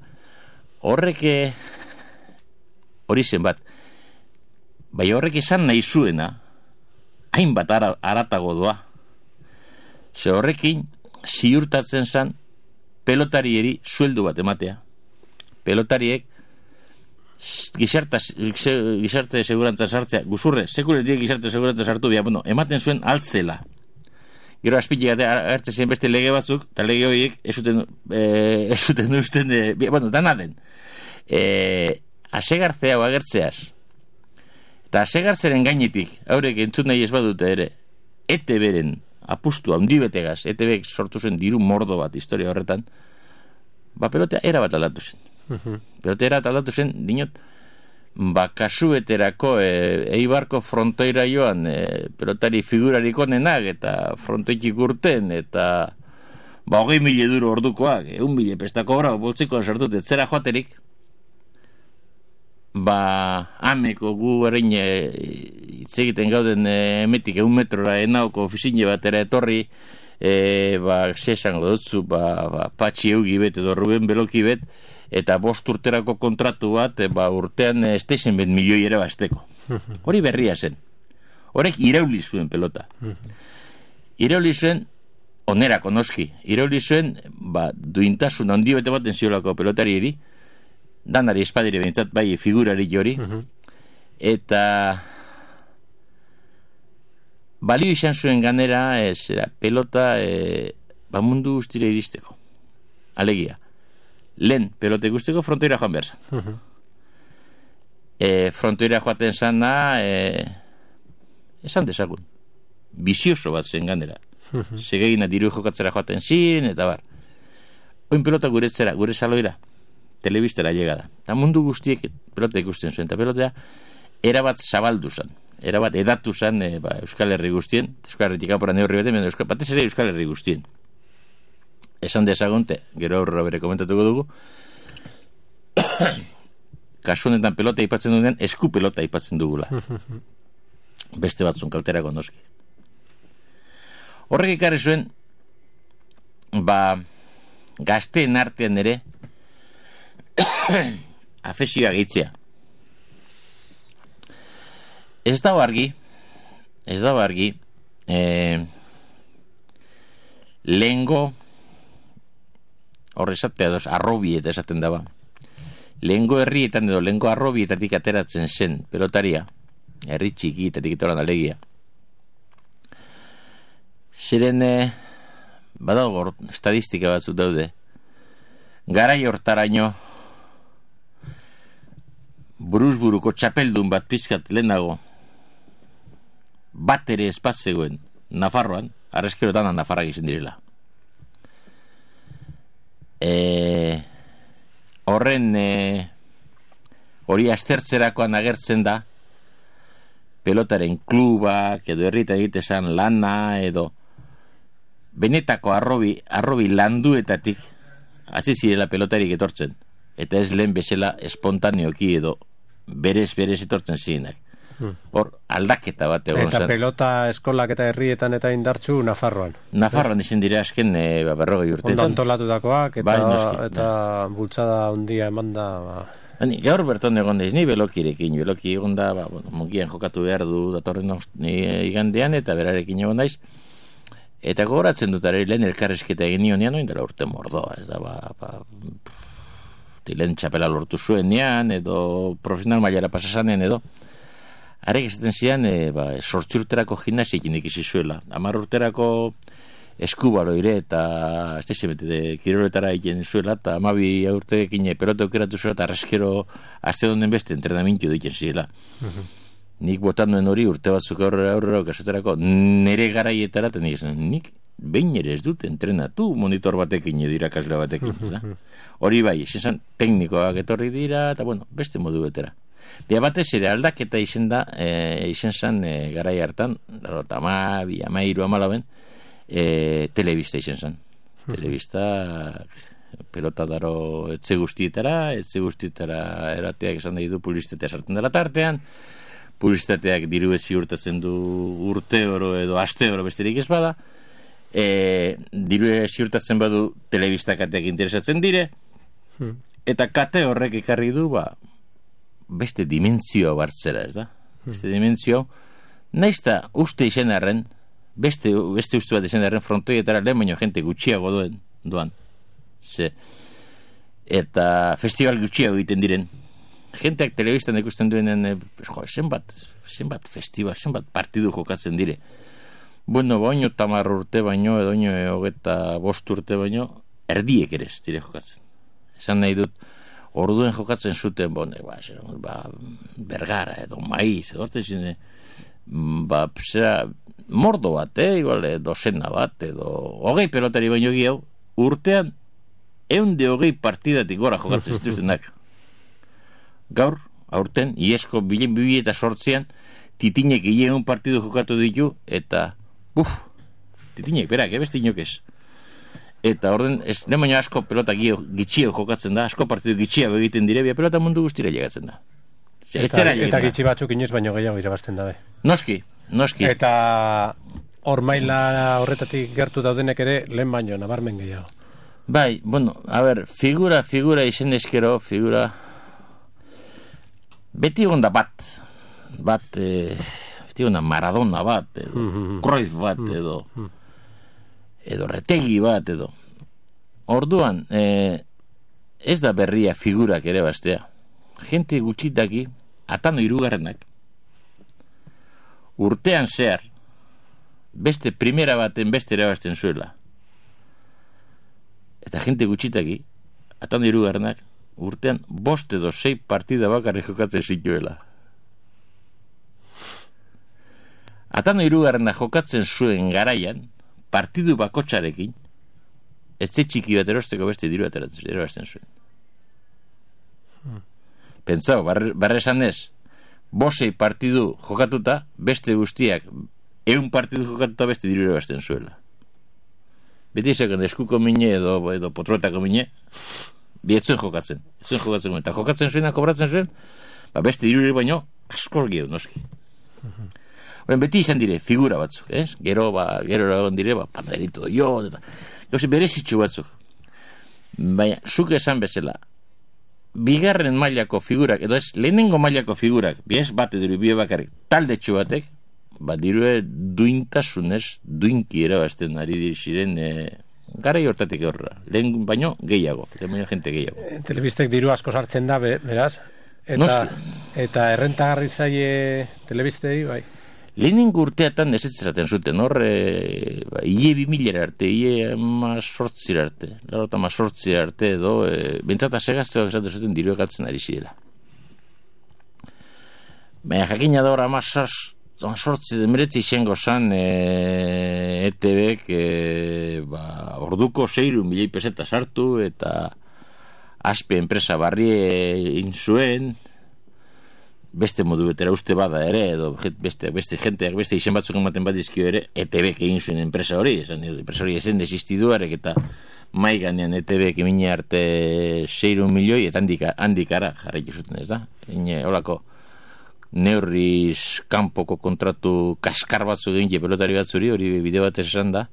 S2: Horrek hori zen bat. Bai horrek esan nahi zuena, hainbat aratago doa. Ze horrekin ziurtatzen zen pelotarieri sueldu bat ematea. Pelotariek gizarte segurantza sartzea, guzurre, sekulez diek gizarte segurantza sartu bia, ematen zuen altzela. Gero azpitik hartzen ziren beste lege batzuk, eta lege horiek ez zuten usten, dana den. Asegarzea o agertzeaz. Eta asegarzeren gainetik, haurek entzun nahi ez badute ere, ETB-ren apustu handi betegaz, ETB sortu zen diru mordo bat historia horretan, pelotea era bat aldatu zen. Pelotea era bat aldatu zen, dinot, kasueterako Eibarko frontoira joan pelotari figurarik onenak eta frontoitik urten eta 20.000 euro ordukoak 1.000 pestako obra boltzikoan sartut etzera joaterik ameko gu erain itzegiten gauden emetik 1 metrora enauko ofizine batera etorri zesango dutzu Patxi Eugi bet edo Ruben Beloki bet eta 5 urterako kontratu bat urtean estezen bet milioi ere basteko. Hori berria zen. Horrek irauli zuen pelota. Irauli zuen onerako noski. Irauli zuen duintasun handi bete baten ziolako pelotarieri danari espadire behintzat, bai figurari hori, eta balio izan zuen ganera, pelota mundu guztira iristeko. Alegia. Lehen pelota guzteko frontoira joan behar zan. Frontoira joaten zana, esan dezagun, bizioso bat zen ganera. Segegina diru jokatzera joaten zin, eta bar. Oin pelota guretzera, gure saloira, telebistera llegada. Eta mundu guztiek pelota ikusten zuen, eta pelotea erabat zabaldu zen. Erabat edatu zen Euskal Herri guztien, Euskal Herritik apora neurri baten, batez ere Euskal Herri guztien. Esan dezagonte, gero aurra bere komentatuko dugu, kasu honetan pelota aipatzen dugunean, esku pelota aipatzen dugula. Beste batzun kalterako noski. Horrek ekarri zuen, gazteen artean ere, afesioa gehitzea. Ez dago argi, lehengo, horre esatea doz, arrobieta esaten daba. Lehengo herrietan edo, lehengo arrobietatik ateratzen zen pelotaria, herri txikietatik itoran alegia. Ziren, badago estadistika batzuk daude, garai hortaraino, buruzburuko txapeldun bat pizkat lehenago, bat ere espazzegoen Nafarroan, arrezkero dana Nafarrak izan direla. Horren hori aztertzerakoan agertzen da pelotaren klubak edo herrita egitezan lana edo benetako arrobi landuetatik hasi zirela pelotarik etortzen eta ez lehen bezala espontaneoki edo berez etortzen zirenak. Hor aldaketa bat egon zen.
S1: Eta pelota eskolak eta herrietan eta indartzu Nafarroan.
S2: Nafarroan izan dira azken 40 urteetan.
S1: Ondo antolatutakoak eta bultzada handia eman da.
S2: Gaur berton egon daiz, ni belokirekin. Beloki egon da, mungian jokatu behar du datorren igandean eta berarekin egon daiz. Eta gogoratzen dut ere lehen elkarrezketa egin nionean, oindela urte mordoa. Ez da, lehen txapela lortu zuenean edo profesional mailara pasasanean edo. Arek esaten zian, sortzi urterako gimnasiakin ikizi zuela. 10 urterako eskubaloire eta ez dizimete kiroletara egin zuela, eta 12 urteekin pelota aukeratu zuela, eta arrezkero azte donen beste entrenamentu diken zirela. Nik botan duen hori urte batzuk aurrera kasoterako nere garaietara, eta nik behin ere ez dut entrenatu monitor batekin edo irakasle batekin. Hori bai, izan teknikoak etorri dira, eta beste modu betera. Bia batez ere aldaketa izan zen garai hartan, 13, telebista izan zen. Telebista pelota daro etxe guztietara erateak esan nahi du publizitatea sartzen dela tartean, publizitateak diru ziurtatzen du urte oro edo aste oro besterik ez bada, diru ziurtatzen badu telebista kateak interesatzen dire, eta kate horrek ekarri du beste dimentzioa bartzera, ez da? Beste dimentzio, naizta uste izan arren, beste uste bat izan arren frontoietara lehen baino jente gutxiago duan. Eta festival gutxiago egiten diren. Jenteak telebistan ikusten duenen, zenbat festival, zenbat partidu jokatzen dire. Baino 10 urte baino, edo 25 urte baino, erdiek ere ez dire jokatzen. Esan nahi dut, orduen jokatzen zuten, Bergara edo Maiz, edo orte zine, mordo bat, dozena bat, edo 20 pelotari baino gehiago, urtean, 120 partidatik gora jokatzen zituztenak. Gaur, aurten, iesko 2008an, titinek 100 partidu jokatu ditu, eta, titinek, berak, beste inok ez. Eta orden, lehen baino asko pelota gitxio jokatzen da, asko partidu gitxiago egiten dire, pelota mundu guztira llegatzen da.
S1: Eta gitxi batzuk inoiz baino gehiago irabazten dabe.
S2: Noski.
S1: Eta hor maila horretatik gertu daudenek ere, lehen baino nabarmen gehiago.
S2: Bai, figura izen eskero, beti egon da beti egon da Maradona bat, edo Cruyff bat, edo Retegi bat, edo. Orduan, ez da berria figurak ere bastea. Gente gutxitaki, Atano hirugarrenak, urtean zehar, beste primera baten beste erabazten zuela. Eta gente gutxitaki, Atano hirugarrenak, urtean 5 edo 6 partida bakarrik jokatzen zituela. Atano hirugarrenak jokatzen zuen garaian, partidu bakotxarekin, etxe txiki bat erosteko beste diru erabazten zuen. Pentsau, barre esan ez, 5 partidu jokatuta, beste guztiak, 100 partidu jokatuta beste diru erabazten zuela. Beti esaken eskuko mine edo potruetako mine, bietzuen jokatzen. Eta jokatzen zuena, kobratzen zuen, beste diru baino, askol gehu, noski. Beti izan dire, figura batzuk, ez? Gero egon dire, panderito jo, eta berezitxu batzuk. Baina, zuk esan bezala, bigarren mailako figurak, edo ez, lehenengo mailako figurak, biez bat edo bie bakarrik, taldetxu batek, dirue duintasunez, duinki erabazten ari ziren, garai hortatik horra, lehen baino gehiago, jente gehiago.
S1: Telebistek diru asko sartzen da, beraz? Eta errentagarri zaie telebistei, bai?
S2: Lehenengo urteatan esetzaten zuten, hor, ile 2000 arte, ile 18 arte, larota 18 arte, edo, bentsata segazteak esaten zuten diru egatzen ari zirela. Baina jakina da hor, 18 meretzi izango zan ETBek orduko 6.000 peseta sartu, eta Aspe enpresa barrie zuen, beste modu betera uste bada ere, edo beste jenteak, beste izen batzuk ematen bat dizkio ere, ETBek egin zuen enpresa hori, enpresa hori esen desistiduarek, eta maiganean ETBek emine arte 6 milioi, eta handikara jarraitu zuten, ez da? Horako neurriz kanpoko kontratu kaskar batzuk egin pelotari batzuri, hori bideo bat esan da,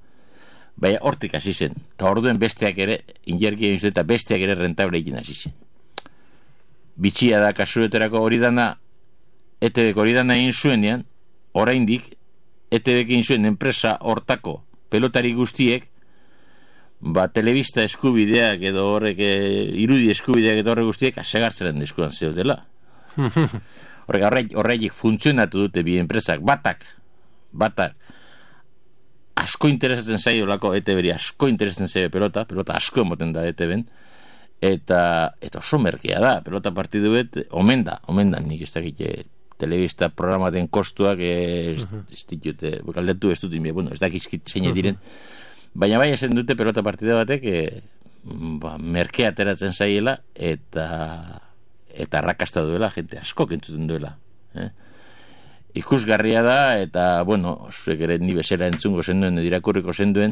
S2: baina hortik hasi zen, eta orduen besteak ere, injerki egin zuen, eta besteak ere rentable egin hasi zen. Bitxia da kasueterako hori dana, ETBek hori dana egin zuenean, oraindik ETBek egin zuen enpresa hortako pelotari guztiek, telebista eskubideak edo horrek, irudi eskubideak edo horrek guztiek, asegartzaren eskuan zeudela. Horreik funtzionatu dute bi enpresak, batak, asko interesatzen zaio lako ETBri, asko interesatzen zaio pelota asko emoten da ETBen, eta oso merkea da, pelota partidu bet, omen da, nik ez dakit telebista programaten kostuak ez ditute, galdetu ez dut, ez dakizkit zein diren, baina bai esan dute pelota partida batek merkea ateratzen zaiela, eta arrakasta duela, jente asko kentzuten duela. Ikusgarria da, eta, zuek ere ni bezala entzungo zenduen, irakurriko zenduen,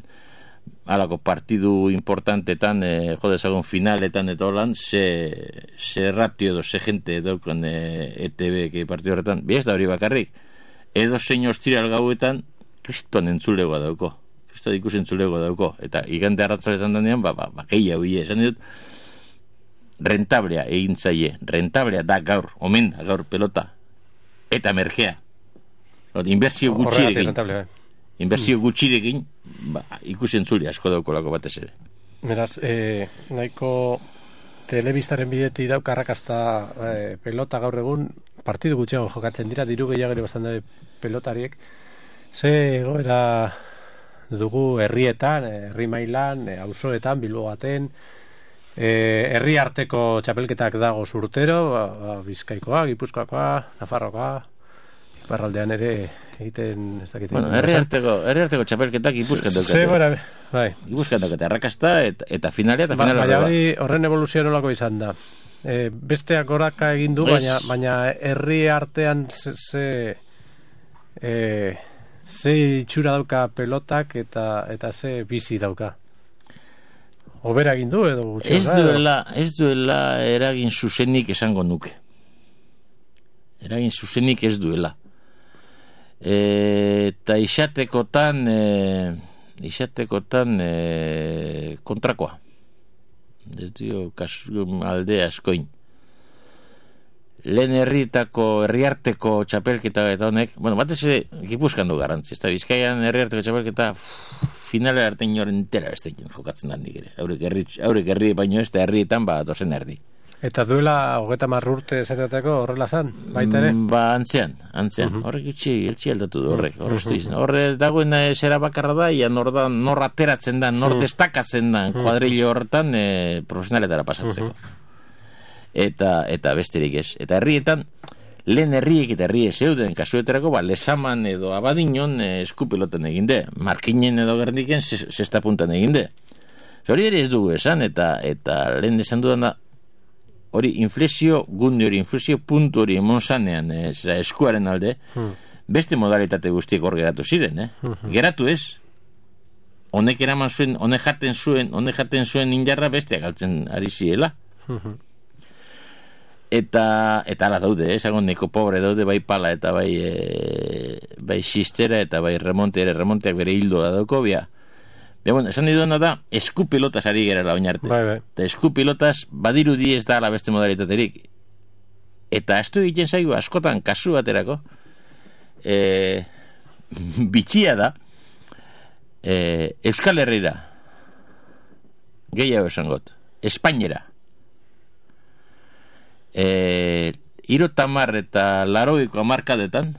S2: halako partidu importantetan, jodezagun finaletan eta holan, ze ratio edo, ze jente daukan ETB partidu horretan, ez da hori bakarrik, edo zein ostiral gauetan, kriston entzulegoa dauko, kriston ikus entzulegoa dauko, eta igande arratzaletan danean, gehiago esan dut, rentablea egin zaie, rentablea da gaur, omen da gaur pelota, eta merkea, inbertsio gutxirekin, inbertsio gutxirekin, ikusen zuli asko daukolako batez ere.
S1: Beraz, nahiko telebistaren bideti dauk arrakasta pelota gaur egun, partidu gutxiago jokatzen dira, diru gehiago ere bastan da pelotariek, ze goera dugu herrietan, herri mailan, auzoetan, Bilbo baten, herri arteko txapelketak dago urtero, Bizkaikoa, Gipuzkoakoa, Nafarroakoa, Iparraldean ere egiten ez dakit.
S2: Herri arteko txapelketak Gipuzkoan daukate.
S1: Bai.
S2: Gipuzkoan daukate arrakasta eta finalea eta finala.
S1: Baina horren evoluzioa nolako izan da. Besteak goraka egin du, baina herri artean ze itxura dauka pelotak eta ze bizi dauka. Obera egin du edo gutxi?
S2: Ez duela eragin zuzenik esango nuke. Eragin zuzenik ez duela. Eta isatekotan kontrakoa. Ez dio, alde askoin. Lehen herriarteko txapelketa eta honek, batez ere Gipuzkoan du garrantzi. Eta Bizkaian herriarteko txapelketa finalera arte inoren entera ez tekin jokatzen da nik ere. Haurek herri baino ez da herrietan dozen erdi.
S1: Eta duela 30 urte esatetako horrela zan, baita ere?
S2: Antzean. Horrek itxi aldatu du horrek. Horre dagoen zera bakarra da, ia nor ateratzen da, nor destakatzen da, kuadrillo horretan profesionaletara pasatzeko. Eta besterik ez. Eta herrietan, lehen herriek eta herrie zeuden kasueterako, lesaman edo abadinon eskupiloten eginde. Markinen edo gerniken sexta puntan eginde. Hori ere ez dugu esan, eta lehen esan dudan da, hori inflexio gunde hori, inflexio puntu hori emon zanean eskuaren alde, beste modalitate guztiek hor geratu ziren, Geratu ez, honek eraman zuen, honek jaten zuen indarra besteak galtzen ari ziela. Eta ala daude, esagon neko pobre daude, bai pala eta bai xistera eta bai remonteak bere hildoa dauko, esan diduna da, eskupilotas ari gerala oinarte. Eta eskupilotas badirudi ez da la beste modalitaterik. Eta astu egiten zaigu askotan kasu baterako, bitxia da, Euskal Herrira, gehiago esangot, Espainera, 30 eta 80 hamarkadetan,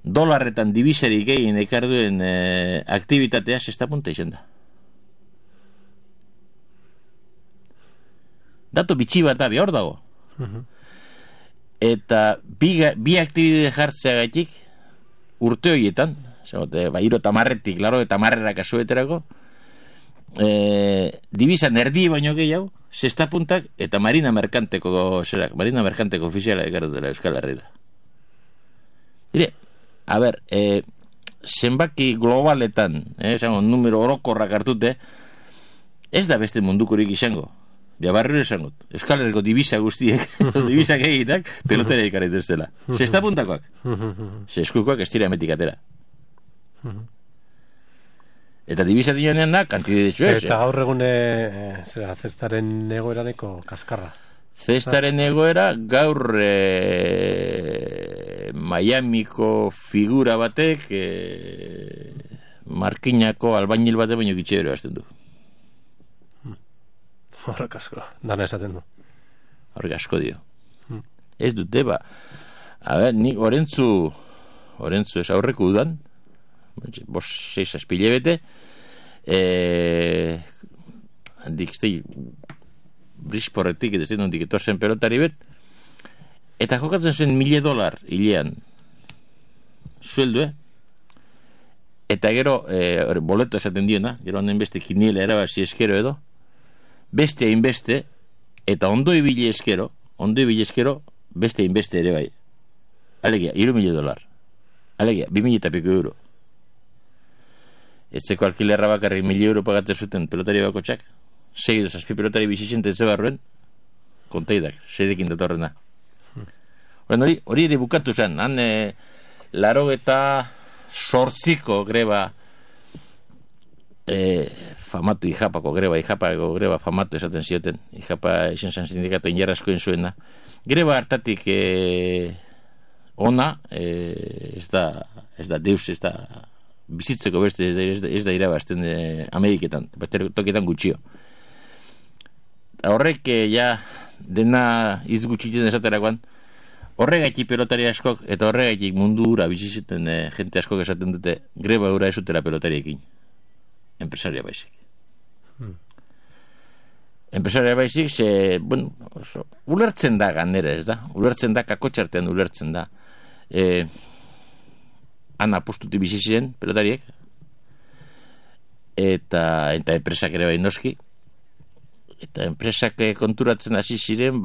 S2: dolarretan dibisarik egin ekarduen aktibitatea sexta punta izan da. Dato bitxi bat da, hor dago. Eta bi aktibitate jartzeagatik urte horietan, 30 laro eta marrera kasueterako, dibisan erdi baino gehiago, sexta puntak eta marina merkanteko ofiziala ekardu dela Euskal Herrira. Dire, a ber, zenbaki globaletan, numero orokorrak hartute, ez da beste mundukorik izango. Barriro esangot, Euskal Herriko divisa guztiek, divisak egitak, pelotera ikarritu ez dela. Sexta puntakoak. Eskukoak ez tira emetik atera. Eta divisa dionean da, kantide ditzu ez.
S1: Eta gaur egune, zestaren egoeraneko kaskarra.
S2: Zestaren egoera gaur Miamiko figura batek Markinako albainil batek baino gitxero hasten du.
S1: Horrek asko, dana esaten du.
S2: Horrek asko dio. Ez dute, a ber, nik orentzu ez aurreko udan, 6 aspilebete, handik iztei brisporretik, edo zen hondik etorzen pelotari bet, eta jokatzen zuen $1,000 hilean sueldu, eta gero boleto esaten diona, gero honen beste kiniela erabazi eskero edo, beste hainbeste, eta ondo ibili eskero, beste hainbeste ere bai. Alegia, $3,000. Alegia, 2,000 eta piko euro. Etzeko alkilerra bakarrik €1,000 pagatzen zuten pelotari bakotxak, 6 edo 7 pelotari bizixente ez barruen, konteidak, 6ekin datorrena. Hori ere bukatu zen, han 88ko greba famatu Ijapako greba famatu esaten zioten, Ijapa izan zen sindikatu injarraskoen zuena. Greba hartatik ona, ez da deus, ez da bizitzeko beste, ez da irabazten Ameriketan, beste tokietan gutxio. Horrek ja dena izgutxiten esaterakoan, horregaitik pelotari askok eta horregaitik mundu ura biziziten jente askok esaten dute greba ura esutela pelotariekin. Empresaria baizik. Empresaria baizik, ulertzen da ganera, ez da? Ulertzen da, kakotxartean ulertzen da. Han apostuti bizi ziren pelotariek, eta enpresak ere bai noski, eta enpresak konturatzen hasi ziren,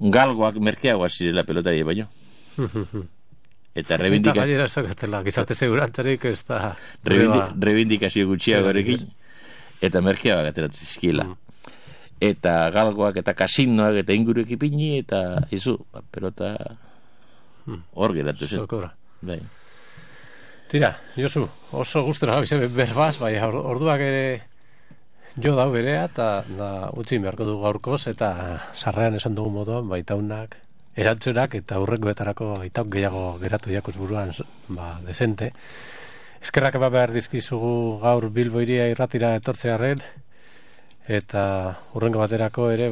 S2: galgoak merkeagoak zirela pelotari baino. Eta
S1: gizarte segurantzarik ez da
S2: reivindikazio gutxiagoarekin eta merkeagoak ateratzen zizkiela. Eta galgoak eta kasinoak eta inguruek ipini eta izu, pelota hor geratu zen. Bai.
S1: Tira, Josu, oso gustora gabize berbaz, bai, orduak ere jo dau berea, eta utzi beharko du gaurkoz, eta sarrean esan dugu moduan, baitaunak erantzunak eta hurrengoetarako itauk gehiago geratu jakuz buruan desente. Eskerrak behar dizkizugu gaur Bilbo Hiria irratira etortzearren, eta hurrengo baterako ere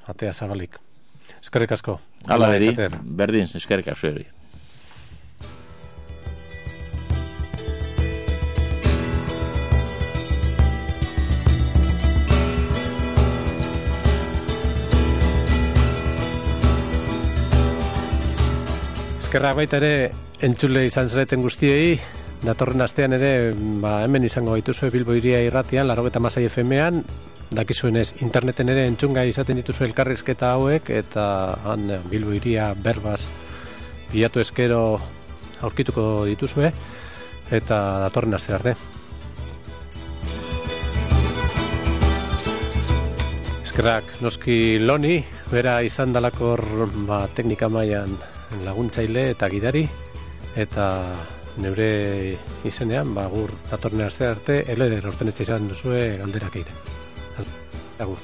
S1: atea zabalik. Eskerrik asko.
S2: Hala beri, berdin, eskerrik asko eri.
S1: Eskerrak baita ere entzule izan zareten guztiei, datorren astean ere hemen izango gaituzue Bilbo Hiria irratian, 96 FM-ean, dakizuenez interneten ere entzungai izaten dituzue elkarrizketa hauek, eta Bilbo Hiria berbaz bilatu eskero aurkituko dituzue, eta datorren aste arte. Eskerrak noski Loni, bera izan dalakor teknika mailan laguntzaile eta gidari, eta neure izenean, gur datorren aste arte, eder ortenetxe izan duzue galderak egiten. Agur.